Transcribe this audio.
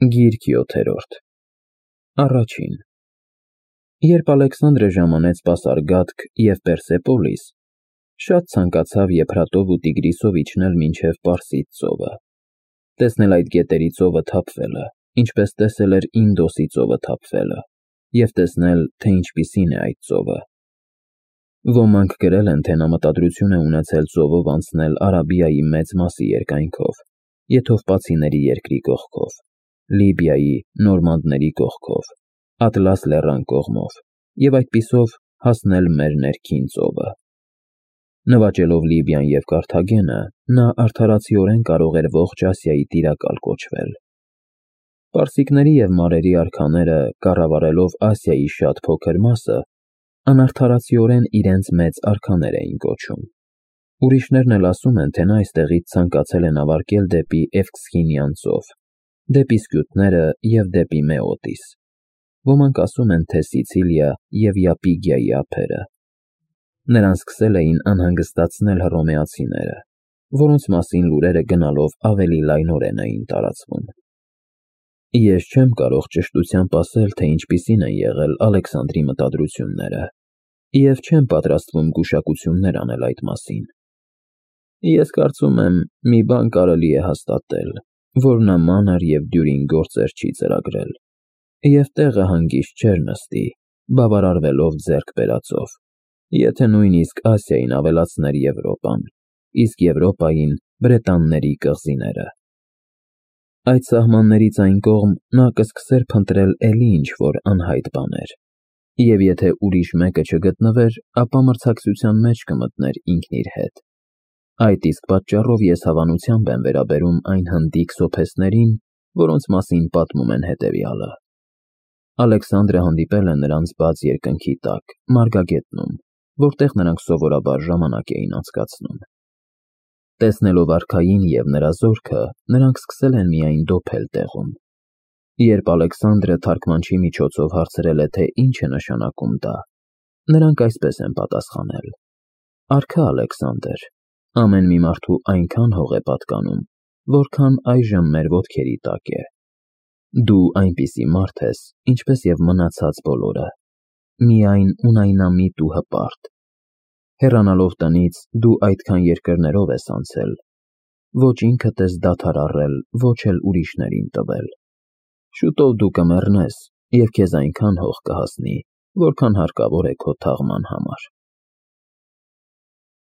Գիրք 7-րդ Առաջին Երբ Ալեքսանդրը ժամանեց Պասարգադք և Պերսեպոլիս, շատ ցանկացավ Եփրատով ու Տիգրիսով իջնել մինչև Պարսից ծովը, տեսնել այդ գետերի ծովը թափվելը, ինչպես տեսել էր Ինդոսի ծովը թափվելը, և տեսնել, թե ինչպիսին է այդ ծովը։ Ոմանք գրել են, թե նա մտադրություն է ունեցել ծովով անցնել Արաբիայի մեծ մասի երկայնքով, Եթովպացիների երկրի կողքով, Լիբիայի, նորմանդների կողքով, Ատլաս լեռան կողմով և այդպիսով հասնել մեր ներքին ծովը։ Նվաճելով Լիբիան և Կարթագենը, նա արդարացիորեն կարող էր ողջ Ասիայի տիրակալ կոչվել։ Պարսիկների և մարերի արքաները, կառավարելով Ասիայի շատ փոքր մասը, անարդարացիորեն իրենց մեծ արքաներ էին կոչում։ Ուրիշներն էլ ասում են, թե նա այստեղից ցանկացել է նավարկել դեպի Էվքսինիան ծով, դեպի Սկյութները և դեպի Մեոտիս։ Ոմանք ասում են, թե Սիցիլիա և Յապիգիայի ափերը։ Նրան սկսել էին անհանգստացնել հռոմեացիները, որոնց մասին լուրերը գնալով ավելի լայնորեն էին տարածվում։ Ես չեմ կարող ճշտությամբ ասել, թե ինչպիսին են եղել Ալեքսանդրի մտադրությունները, և չեմ պատրաստվում գուշակություններ անել այդ մասին։ Ես կարծում եմ, մի բան կարելի է հաստատել, որ նա մանր և դյուրին գործեր չի ծրագրել, և տեղը հանգիստ չէր նստի, բավարարվելով ձեռք բերածով, եթե նույնիսկ Ասիային ավելացներ Եվրոպան, իսկ Եվրոպային Բրետանների կղզիները։ Այդ սահմաններից այն կողմ նա կսկսեր փնտրել էլի ինչ-որ անհայտ բաներ, և եթե ուրիշ մեկը չգտնվեր, ապա մրցակցության մեջ կմտներ ինքն իր հետ։ Այդ իսկ պատճառով ես հավանությամբ եմ վերաբերում այն հնդիկ սոփեսներին, որոնց մասին պատմում են հետևյալը։ Ալեքսանդրը հանդիպել է նրանց բաց երկնքի տակ, Մարգագետնում, որտեղ նրանք սովորաբար ժամանակ էին անցկացնում։ Տեսնելով արքային և նրա զորքը, նրանք սկսել են միայն դոփել տեղում։ Երբ Ալեքսանդրը թարգմանչի միջոցով հարցրել է, թե ինչ է նշանակում դա, նրանք այսպես են պատասխանել. Արքա Ալեքսանդր, ամեն մի մարդու այնքան հող է պատկանում, որքան այժմ մեր ոտքերի տակ է։ Դու այնպիսի մարդ ես, ինչպես և մնացած բոլորը, միայն ունայնամիտ ու հպարտ։ Հեռանալով տնից, դու այդքան երկրներով ես անցել, ոչ ինքդ ես դադար առել, ոչ էլ ուրիշներին տվել։ Շուտով դու կմեռնես, և քեզ այնքան հող կհասնի, որքան հարկավոր է քո թաղման համար։